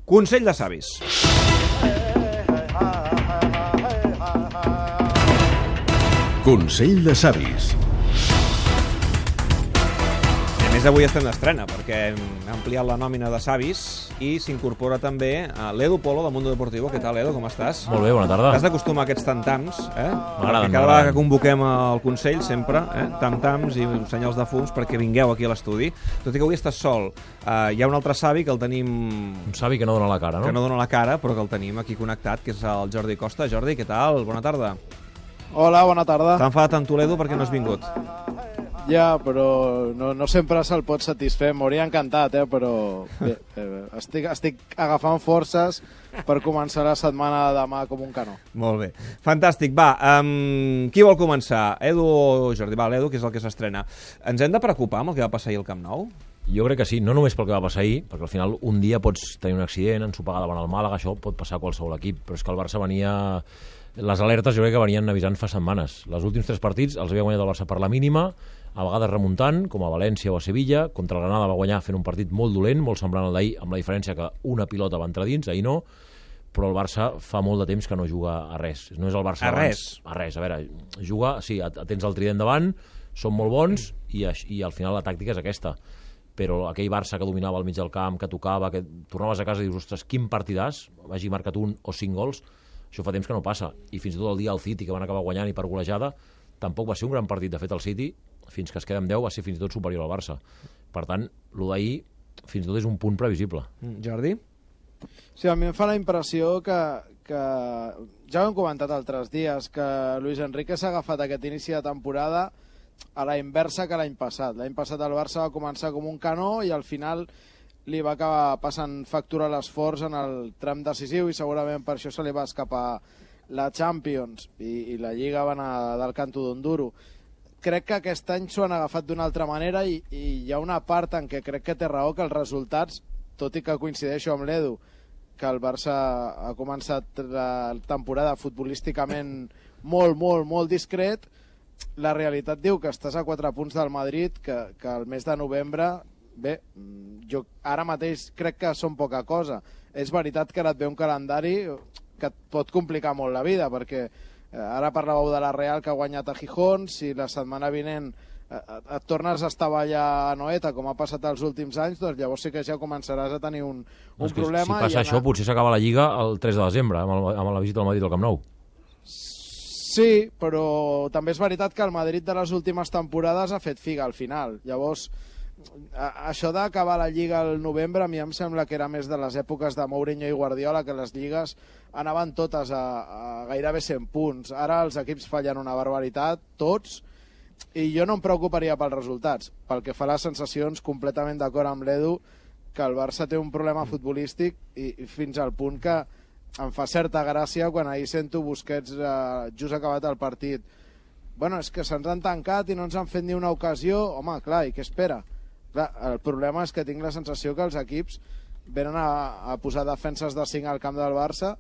Consell de savis. Consell de savis. A més, avui estem d'estrena, perquè hem ampliat la nòmina de savis i s'incorpora també l'Edu Polo, del Mundo Deportivo. Què tal, Edu? Com estàs? Molt bé, bona tarda. T'has d'acostumar a aquests tam-tams, M'agraden. Cada vegada que convoquem el Consell, sempre, tam-tams i senyals de fums perquè vingueu aquí a l'estudi. Tot i que avui estàs sol. Hi ha un altre savi que el tenim... Un savi que no dona la cara, no? Que no dona la cara, però que el tenim aquí connectat, que és el Jordi Costa. Jordi, què tal? Bona tarda. Hola, bona tarda. T'ha enfadat amb Toledo perquè no has vingut. Ja, però no sempre se'l pot satisfer. M'hauria encantat, però bé, estic agafant forces per començar la setmana de demà com un canó. Molt bé. Fantàstic. Va, qui vol començar? Edu o Jordi? Va, l'Edu, que és el que s'estrena. Ens hem de preocupar amb el que va passar ahir al Camp Nou? Jo crec que sí, no només pel que va passar ahir, perquè al final un dia pots tenir un accident, ensopar davant el Màlaga, això pot passar a qualsevol equip, però és que el Barça venia... Les alertes jo crec que venien avisant fa setmanes. Els últims 3 partits els havia guanyat el Barça per la mínima, a vegades remuntant, com a València o a Sevilla. Contra el Granada va guanyar fent un partit molt dolent, molt semblant al d'ahir, amb la diferència que una pilota va entrar dins, ahir no, però el Barça fa molt de temps que no juga a res. No és el Barça a res? A res, a veure, juga, sí, tens el trident davant, són molt bons i al final la tàctica és aquesta. Però aquell Barça que dominava al mig del camp, que tocava, que tornaves a casa i dius, ostres, quin partidàs, hagi marcat 1 o 5 gols, això fa temps que no passa. I fins i tot el dia al City, que van acabar guanyant i per golejada, tampoc va ser un gran partit. De fet, el City, fins que es queda amb 10, va ser fins i tot superior al Barça. Per tant, el d'ahir fins i tot és un punt previsible. Jordi? Sí, a mi em fa la impressió que ja ho hem comentat altres dies, que Luis Enrique s'ha agafat aquest inici de temporada a la inversa que l'any passat. L'any passat el Barça va començar com un canó i al final li va acabar passant factura a l'esforç en el tram decisiu i segurament per això se li va escapar la Champions i la Lliga va anar del canto d'un duro. Crec que aquest any s'ho han agafat d'una altra manera i hi ha una part en què crec que té raó que els resultats, tot i que coincideixo amb l'Edu, que el Barça ha començat la temporada futbolísticament molt discret, la realitat diu que estàs a 4 punts del Madrid, que el mes de novembre, bé, jo ara mateix crec que són poca cosa. És veritat que ara et ve un calendari que et pot complicar molt la vida, perquè ara parlàveu de la Real que ha guanyat a Gijón, si la setmana vinent et tornes a estavellar a Noeta, com ha passat els últims anys, doncs llavors sí que ja començaràs a tenir un problema. Si passa això, potser s'acaba la Lliga el 3 de desembre, amb la visita al Madrid al Camp Nou. Sí, però també és veritat que el Madrid de les últimes temporades ha fet figa al final. Llavors, això d'acabar la Lliga al novembre a mi em sembla que era més de les èpoques de Mourinho i Guardiola, que les lligues anaven totes a gairebé 100 punts. Ara els equips fallen una barbaritat, tots, i jo no em preocuparia pels resultats. Pel que fa a les sensacions, completament d'acord amb l'Edu, que el Barça té un problema futbolístic i fins al punt que em fa certa gràcia quan ahir sento Busquets just acabat el partit. Bueno, és que se'ns han tancat i no ens han fet ni una ocasió. Home, clar, i què espera? Clar, el problema és que tinc la sensació que els equips venen a posar defenses de 5 al camp del Barça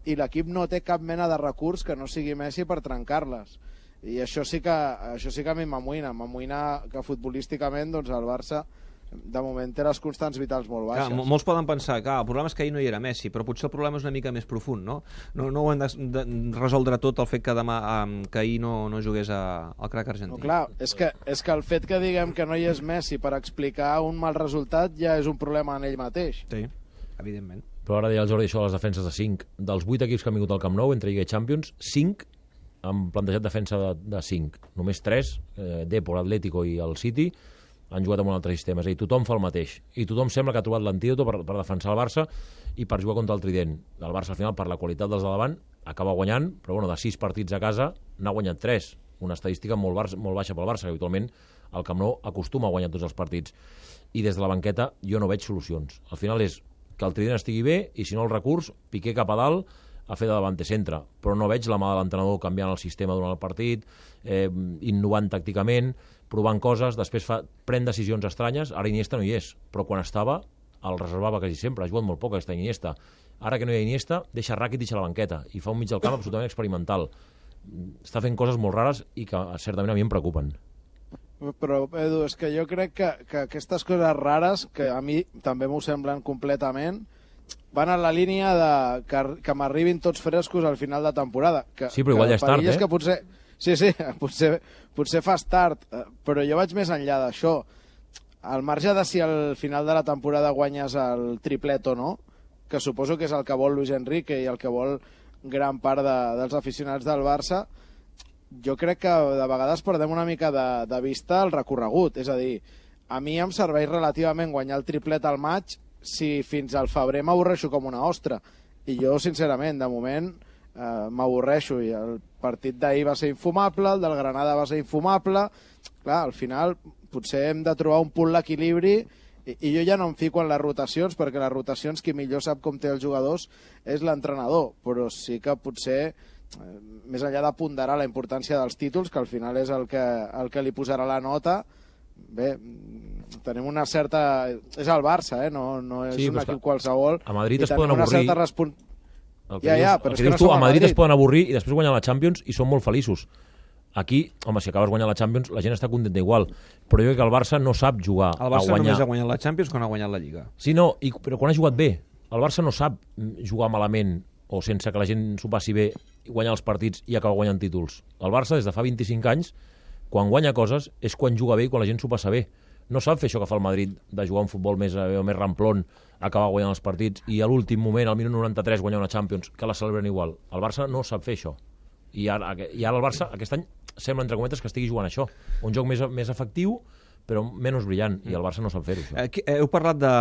i l'equip no té cap mena de recurs que no sigui Messi per trencar-les. I això sí que a mi m'amoïna que futbolísticament doncs, el Barça de moment té les constants vitals molt baixes. Clar, molts poden pensar que el problema és que ahir no hi era Messi, però potser el problema és una mica més profund, no? No ho hem de resoldre tot el fet que demà que ahir no jugués al crac argentí. No, clar, és que el fet que diguem que no hi és Messi per explicar un mal resultat ja és un problema en ell mateix. Sí, evidentment. Però ara deia el Jordi això de les defenses de 5. Dels 8 equips que han vingut al Camp Nou, entre Lliga i Champions, 5 han plantejat defensa de 5. Només 3, Depor, Atlético i el City, han jugat amb un altre sistema. És a dir, tothom fa el mateix. I tothom sembla que ha trobat l'antídot per defensar el Barça i per jugar contra el trident. El Barça, al final, per la qualitat dels de davant, acaba guanyant, però bueno, de 6 partits a casa n'ha guanyat 3. Una estadística molt baixa pel Barça, que habitualment el Camp Nou acostuma a guanyar tots els partits. I des de la banqueta jo no veig solucions. Al final és que el trident estigui bé i, si no, el recurs, Piqué cap a dalt a fer de davante centre, però no veig la mà de l'entrenador canviant el sistema durant el partit, innovant tàcticament, provant coses, després pren decisions estranyes. Ara Iniesta no hi és, però quan estava el reservava quasi sempre, ha jugat molt poc aquesta Iniesta. Ara que no hi ha Iniesta, deixa Rakitic a la banqueta i fa un mig del camp absolutament experimental. Està fent coses molt rares i que certament a mi em preocupen. Però, Edu, és que jo crec que aquestes coses rares, que a mi també m'ho semblen completament, van en la línia de que m'arribin tots frescos al final de temporada. Sí, però igual ja és tard, que potser, sí, potser fas tard, però jo vaig més enllà d'això. Al marge de si al final de la temporada guanyes el triplet o no, que suposo que és el que vol Luis Enrique i el que vol gran part dels aficionats del Barça, jo crec que de vegades perdem una mica de vista el recorregut. És a dir, a mi em serveix relativament guanyar el triplet al maig si fins al febrer m'avorreixo com una ostra. I jo, sincerament, de moment m'avorreixo. I el partit d'ahir va ser infumable, el del Granada va ser infumable. Clar, al final potser hem de trobar un punt l'equilibri i jo ja no em fico en les rotacions, perquè les rotacions qui millor sap com té els jugadors és l'entrenador, però sí que potser més enllà de ponderar la importància dels títols, que al final és el que li posarà la nota, bé, tenim una certa... És el Barça, no és un equip qualsevol. A Madrid es poden avorrir. Però és que no som a Madrid es poden avorrir i després guanyar la Champions i són molt feliços. Aquí, home, si acabes guanyant la Champions, la gent està contenta igual, però jo crec que el Barça no sap jugar a guanyar. El Barça només ha guanyat la Champions quan ha guanyat la Lliga. Sí, no, però quan ha jugat bé. El Barça no sap jugar malament o sense que la gent s'ho passi bé, guanyar els partits i acabar guanyant títols. El Barça, des de fa 25 anys, quan guanya coses, és quan juga bé i quan la gent s'ho passa bé. No sap fer això que fa el Madrid, de jugar un futbol més ramplón, acabar guanyant els partits, i a l'últim moment, al minut 93, guanyar una Champions, que la celebren igual. El Barça no sap fer això. I ara el Barça, aquest any, sembla, entre cometes, que estigui jugant això. Un joc més efectiu, però menys brillant, i el Barça no sap fer-ho. Heu parlat de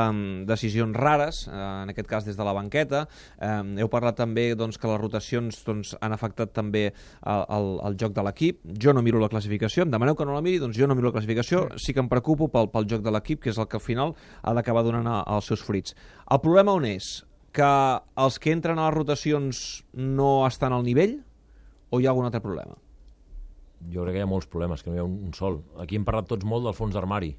decisions rares, en aquest cas des de la banqueta. Heu parlat també que les rotacions han afectat també el joc de l'equip. Jo no miro la classificació, em demaneu que no la miri, doncs jo no miro la classificació, sí que em preocupo pel joc de l'equip, que és el que al final ha d'acabar donant els seus fruits. El problema on és? Que els que entren a les rotacions no estan al nivell o hi ha algun altre problema? Jo crec que hi ha molts problemes, que no hi ha un sol. Aquí hem parlat tots molt del fons d'armari.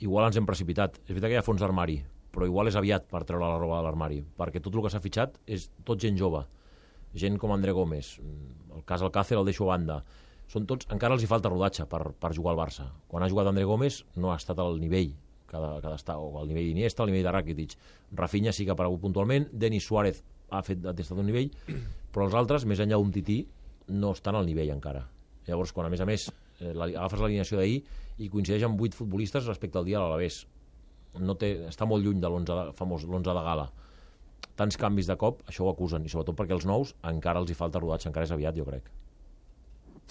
Igual ens hem precipitat. És veritat que hi ha fons d'armari, però igual és aviat per treure la roba de l'armari, perquè tot el que s'ha fitxat és tot gent jove. Gent com André Gómez, el cas Alcácer el deixo a banda. Són tots, encara els hi falta rodatge per jugar al Barça. Quan ha jugat André Gómez no ha estat al nivell que ha d'estar, o al nivell d'Iniesta, al nivell de Rakitic. Rafinha sí que ha aparegut puntualment, Denis Suárez ha estat un nivell, però els altres, més enllà d'un tití, no estan al nivell encara. Llavors, quan a més agafes l'alineació d'ahir i coincideix amb 8 futbolistes respecte al dia de l'Alavés, està molt lluny de l'11 de gala. Tants canvis de cop, això ho acusen, i sobretot perquè els nous encara els hi falta rodatge, encara és aviat, jo crec.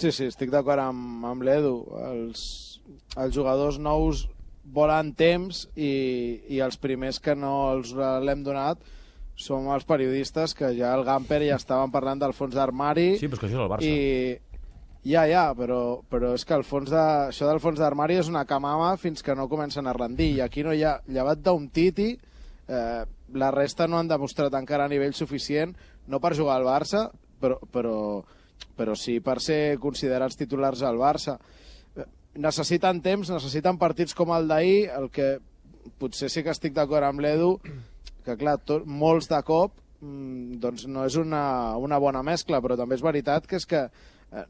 Sí, estic d'acord amb l'Edu. Els jugadors nous volen temps i els primers que no els l'hem donat som els periodistes, que ja el Gamper ja estaven parlant del fons d'armari. Sí, però és que això és el Barça. Però és que això del fons d'armari és una camama fins que no comencen a rendir, i aquí no hi ha, llevat d'un Titi, la resta no han demostrat encara a nivell suficient, no per jugar al Barça, però sí per ser considerats titulars al Barça. Necessiten temps, necessiten partits com el d'ahir, el que potser sí que estic d'acord amb l'Edu, que clar, molts de cop doncs no és una bona mescla, però també és veritat que és que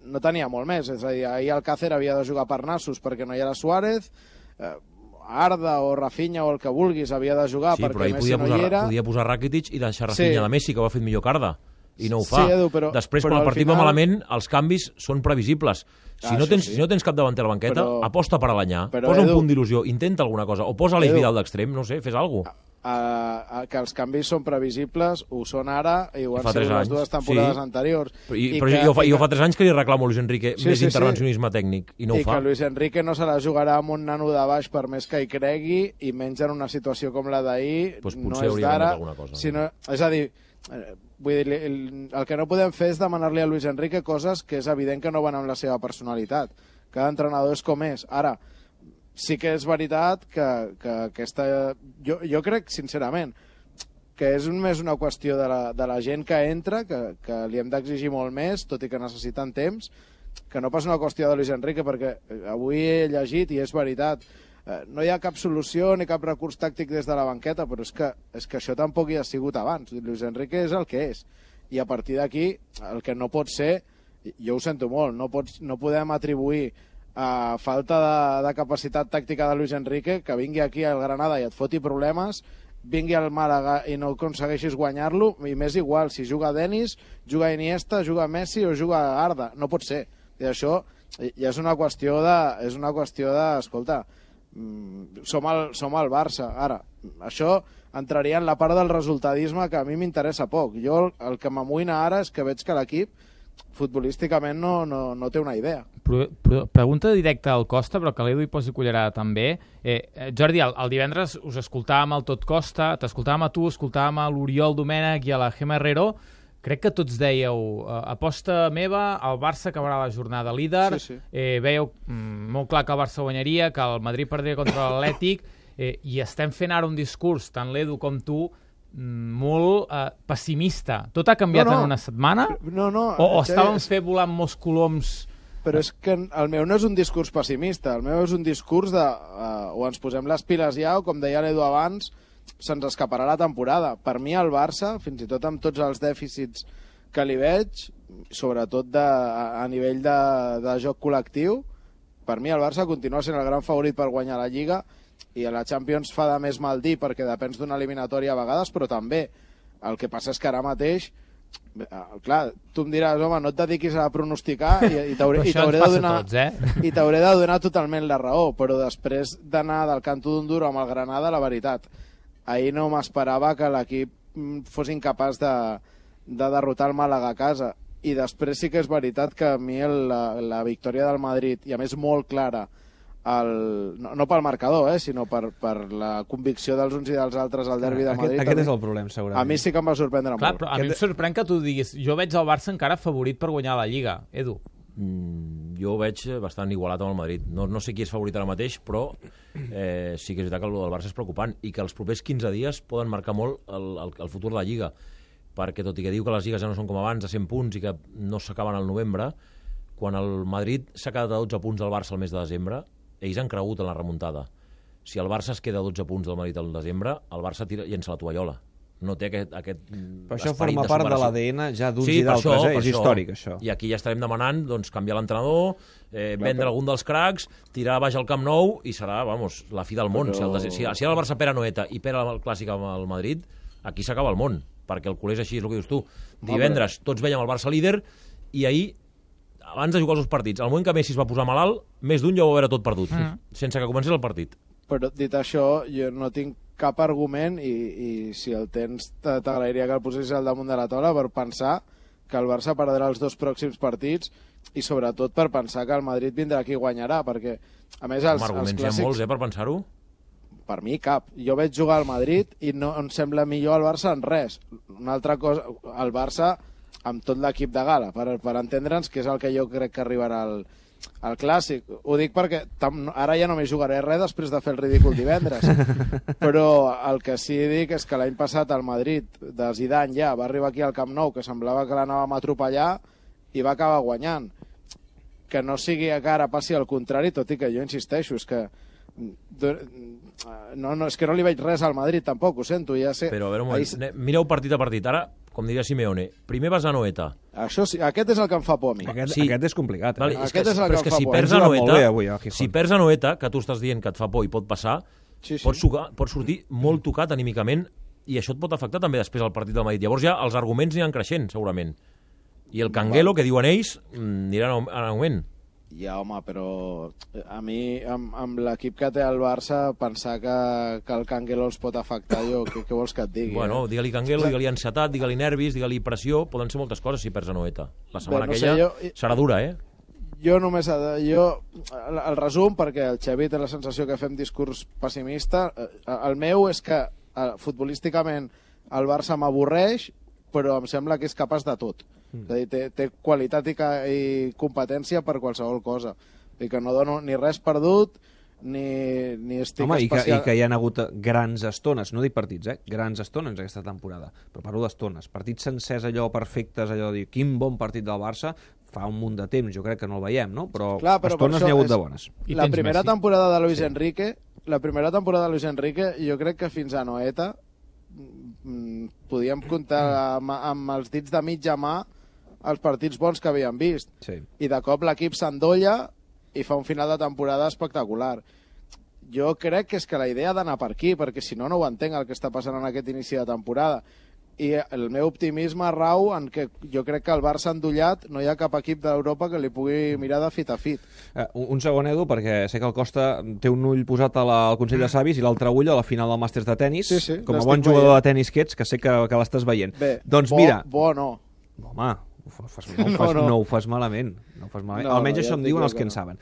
no tenia molt més. És a dir, ahir Alcácer havia de jugar per nassos perquè no hi era Suárez, Arda o Rafinha o el que vulguis havia de jugar perquè Messi no hi era. Podia posar Rakitic i deixar Rafinha de Messi, que ho ha fet millor que Arda, i no ho fa. Sí, Edu, després, quan el partit va malament, els canvis són previsibles. Si no tens cap davanter a la banqueta, aposta per Alanyà, posa un punt d'il·lusió, intenta alguna cosa, o posa l'Eix Vidal d'extrem, no sé, fes alguna cosa. Que els canvis són previsibles, ho són ara i ho han sigut les dues temporades anteriors. Però jo fa 3 anys que li reclamo a Luis Enrique més intervencionisme tècnic i no ho fa. I que Luis Enrique no se la jugarà amb un nano de baix per més que hi cregui, i menys en una situació com la d'ahir, no és d'ara. És a dir, vull dir, el que no podem fer és demanar-li a Luis Enrique coses que és evident que no van amb la seva personalitat. Cada entrenador és com és. Ara, sí que és veritat que aquesta... Jo crec, sincerament, que és més una qüestió de la gent que entra, que li hem d'exigir molt més, tot i que necessiten temps, que no pas una qüestió de Luis Enrique, perquè avui he llegit, i és veritat, no hi ha cap solució ni cap recurs tàctic des de la banqueta, però és que això tampoc hi ha sigut abans. Luis Enrique és el que és, i a partir d'aquí el que no pot ser, jo ho sento molt, no podem atribuir a falta de capacitat tàctica de Luis Enrique que vingui aquí al Granada i et foti problemes vingui al Màlaga i no aconsegueixis guanyar-lo, i m'és igual si juga Denis, juga Iniesta, juga Messi o juga Arda. No pot ser. I això ja és una qüestió de, escolta, som el Barça. Ara, això entraria en la part del resultadisme que a mi m'interessa poc. Jo el que m'amoïna ara és que veig que l'equip futbolísticament no té una idea. Pregunta directa al Costa, però que l'Edu hi posi cullerada també. Jordi, el divendres us escoltàvem al Tot Costa, t'escoltàvem a tu, escoltàvem a l'Oriol Domènech i a la Gemma Herrero. Crec que tots dèieu, aposta meva, el Barça acabarà la jornada líder, Sí. Veieu molt clar que el Barça guanyaria, que el Madrid perdria contra l'Atlètic, i estem fent ara un discurs, tant l'Edu com tu, molt pessimista. Tot ha canviat en una setmana? No. O estàvem fent volant molts coloms? Però és que el meu no és un discurs pessimista, el meu és un discurs de o ens posem les piles ja, o com deia l'Edu abans, se'ns escaparà la temporada. Per mi el Barça, fins i tot amb tots els dèficits que li veig, sobretot a nivell de joc col·lectiu, per mi el Barça continua sent el gran favorit per guanyar la Lliga, i a la Champions fa de més mal dir perquè depens d'una eliminatòria a vegades, però també el que passa és que ara mateix, clar, tu em diràs, home, no et dediquis a pronosticar i t'hauré de donar totalment la raó, però després d'anar del canto d'un duro amb el Granada, la veritat, ahir no m'esperava que l'equip fos incapaç de derrotar el Màlaga a casa, i després sí que és veritat que a mi la victòria del Madrid, i a més molt clara, no pel marcador, sinó per la convicció dels uns i dels altres al derbi de Madrid. Aquest és el problema, segurament. A mi sí que em va sorprendre molt. Però a mi em sorprèn que tu diguis, jo veig el Barça encara favorit per guanyar la Lliga. Edu? Jo ho veig bastant igualat amb el Madrid. No sé qui és favorit ara mateix, però sí que és veritat que el Barça és preocupant i que els propers 15 dies poden marcar molt el futur de la Lliga, perquè tot i que diu que les lligues ja no són com abans, de 100 punts i que no s'acaben al novembre, quan el Madrid s'ha quedat a 12 punts del Barça al mes de desembre, ells han cregut en la remuntada. Si el Barça es queda a 12 punts del Madrid al desembre, el Barça llença la tovallola. No té aquest però això forma part de l'ADN ja d'uns i d'altres, és això. històric, això. I aquí ja estarem demanant canviar l'entrenador, vendre algun dels cracs, tirar baix el Camp Nou, i serà, la fi del món. Si ara el Barça perd a Noeta i perd el Clàssic amb el Madrid, aquí s'acaba el món, perquè el culé és així, és el que dius tu. Divendres tots veiem el Barça líder, i ahir, abans de jugar els partits, al moment que Messi es va posar malalt, més d'un ja ho va veure tot perdut, sense que comencés el partit. Però dit això, jo no tinc cap argument, i si el tens t'agrairia que el posessis al damunt de la taula, per pensar que el Barça perdrà els 2 pròxims partits, i sobretot per pensar que el Madrid vindrà aquí i guanyarà, perquè a més els arguments clàssics... hi ha molts, per pensar-ho? Per mi cap. Jo veig jugar al Madrid i no em sembla millor el Barça en res. Una altra cosa, el Barça amb tot l'equip de gala, per entendre'ns, que és el que jo crec que arribarà al Clàssic. Ho dic perquè ara ja no m'hi jugaré res després de fer el ridícul divendres. Però el que sí dic és que l'any passat el Madrid, de Zidane ja, va arribar aquí al Camp Nou, que semblava que l'anàvem a atropellar, i va acabar guanyant. Que no sigui que ara passi al contrari, tot i que jo insisteixo, és que és que no li veig res al Madrid tampoc, ho sento, ja sé. Però a veure un moment, mireu partit a partit. Ara, com diria Simeone, primer vas a Noeta. Això sí, aquest és el que em fa por a mi. Aquest és complicat. Vale, aquest és el que em fa si por. perds a Noeta, que tu estàs dient que et fa por i pot passar, pots sortir molt tocat anímicament, i això et pot afectar també després al partit del Madrid. Llavors ja els arguments aniran creixent, segurament. I el Canguelo, que diuen ells, anirà en augment. Ja, home, però a mi, amb l'equip que té el Barça, pensar que el Canguelo els pot afectar, jo, què vols que et digui? Bueno, digue-li Canguelo, digue-li ansietat, digue-li nervis, digue-li pressió, poden ser moltes coses si perds a Noeta. La setmana aquella serà dura, Jo només... el resum, perquè el Xavi té la sensació que fem discurs pessimista, el meu és que futbolísticament el Barça m'avorreix, però em sembla que és capaç de tot. És a dir, té qualitat i competència per qualsevol cosa. I que no dono ni res perdut, ni estic especial... I que hi ha hagut grans estones, no dic partits, grans estones aquesta temporada, però parlo d'estones. Partits sencers, allò perfectes, allò de dir, quin bon partit del Barça, fa un munt de temps, jo crec que no el veiem, no? Però estones n'hi ha hagut de bones. La primera temporada de Luis Enrique, jo crec que fins a Noeta podíem comptar amb els dits de mitja mà els partits bons que havíem vist. Sí. I de cop l'equip s'endolla i fa un final de temporada espectacular. jo crec que és que la idea ha d'anar per aquí, perquè si no, no ho entenc el que està passant en aquest inici de temporada. I el meu optimisme rau en que jo crec que el Barça endollat no hi ha cap equip d'Europa que li pugui mirar de fit a fit. Un segon, Edu, perquè sé que el Costa té un ull posat al Consell de Savis i l'altre ull a la final del Màsters de tennis. Sí, com a bon jugador de tennis que ets, que sé que l'estàs veient. Bé, doncs mira... Bo no. Home, no ho fas malament. Almenys això em diuen els que en saben.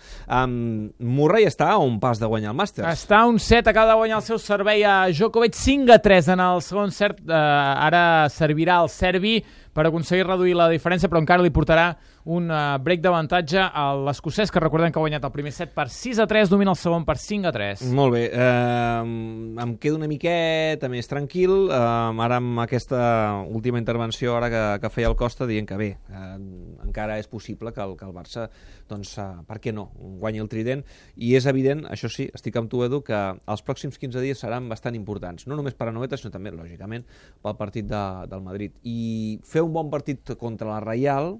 Murray està a un pas de guanyar el Màsters. Està a un set, acaba de guanyar el seu servei a Djokovic, 5-3 en el segon set. Ara servirà el serbi per aconseguir reduir la diferència, però encara li portarà un break d'avantatge a l'escocès, que recordem que ha guanyat el primer set per 6-3, domina el segon per 5-3. Molt bé, em quedo una miqueta més tranquil, ara amb aquesta última intervenció ara que feia el Costa, dient que bé, encara és possible que el Barça, doncs, per què no, guanyi el trident, i és evident, això sí, estic amb tu, Edu, que els pròxims 15 dies seran bastant importants, no només per a Anoeta, sinó també, lògicament, pel partit del Madrid. I fer un bon partit contra la Reial,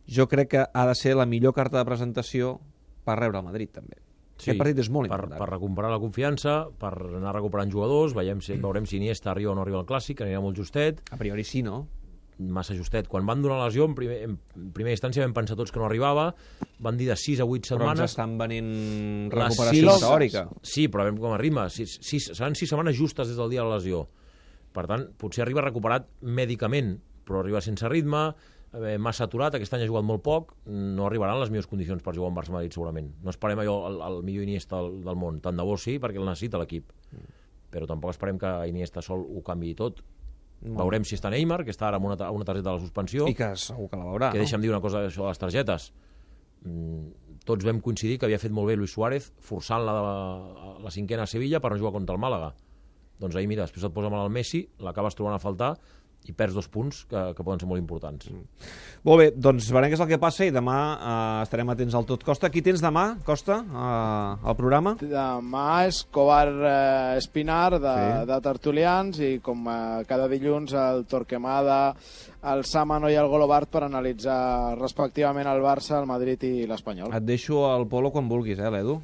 jo crec que ha de ser la millor carta de presentació per rebre el Madrid, també. Sí, aquest partit és molt important. Per recuperar la confiança, per anar recuperant jugadors, veurem si Iniesta arriba o no arriba al Clàssic, anirà molt justet. A priori sí, no? Massa justet. Quan van donar la lesió, en primera instància vam pensar tots que no arribava, van dir de 6 a 8 setmanes... Però ens estan venint recuperació teòrica. Sí, però veiem com arriba. Seran 6 setmanes justes des del dia de la lesió. Per tant, potser arriba recuperat mèdicament, però arriba sense ritme, massa aturat, aquest any ha jugat molt poc, no arribaran les millors condicions per jugar en Barça-Madrid segurament. No esperem allò el millor Iniesta del món, tant de bo sí, perquè el necessita l'equip. Però tampoc esperem que Iniesta sol ho canviï tot. Veurem si està Neymar, que està ara amb una targeta de la suspensió. I que segur que la veurà. Que deixa'm dir una cosa això de les targetes. Tots vam coincidir que havia fet molt bé Luis Suárez forçant la cinquena a Sevilla per no jugar contra el Màlaga. Doncs ahir, mira, després et posa mal el Messi, l'acabes trobant a faltar i perds 2 punts que poden ser molt importants. Molt bé, doncs veurem què és el que passa i demà estarem atents al tot. Costa, qui tens demà, Costa, al programa? Demà és Escobar Espinar de Tertulians i com cada dilluns el Torquemada, el Sámano i el Golobart per analitzar respectivament el Barça, el Madrid i l'Espanyol. Et deixo el Polo quan vulguis, l'Edu?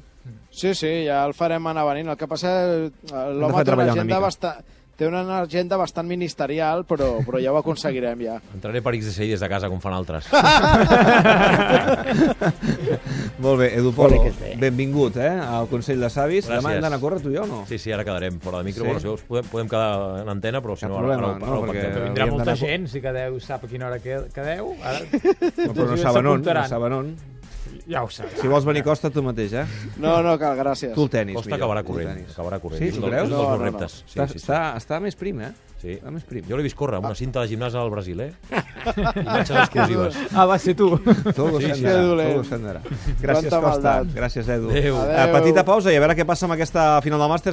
Sí, ja el farem anar venint. El que passa és que l'home té una agenda bastant ministerial, però ja ho aconseguirem, ja. Entraré per XSI des de casa, com fan altres. Molt bé, Edu Polo, benvingut al Consell de Savis. Gràcies. Demà hem d'anar a córrer, tu i jo, no? Sí, ara quedarem fora de micro. Sí? Bueno, si podem quedar en antena, però si no, ara ho pactem. Vindrà molta gent, si quedeu, sap a quina hora quedeu. Però no saben on. Ja ho saps. Si vols venir, Costa, tu mateix, No, cal, gràcies. Tu el tenis. Costa acabarà corrent. Sí, tu creus? No. Està més prim, Sí. Jo l'he vist córrer amb una cinta de gimnàs al Brasil, Imatges exclusives. Va ser tu. Todo s'endarà. Gràcies, Costa. Gràcies, Edu. Adéu. Petita pausa i a veure què passa amb aquesta final del Màsters.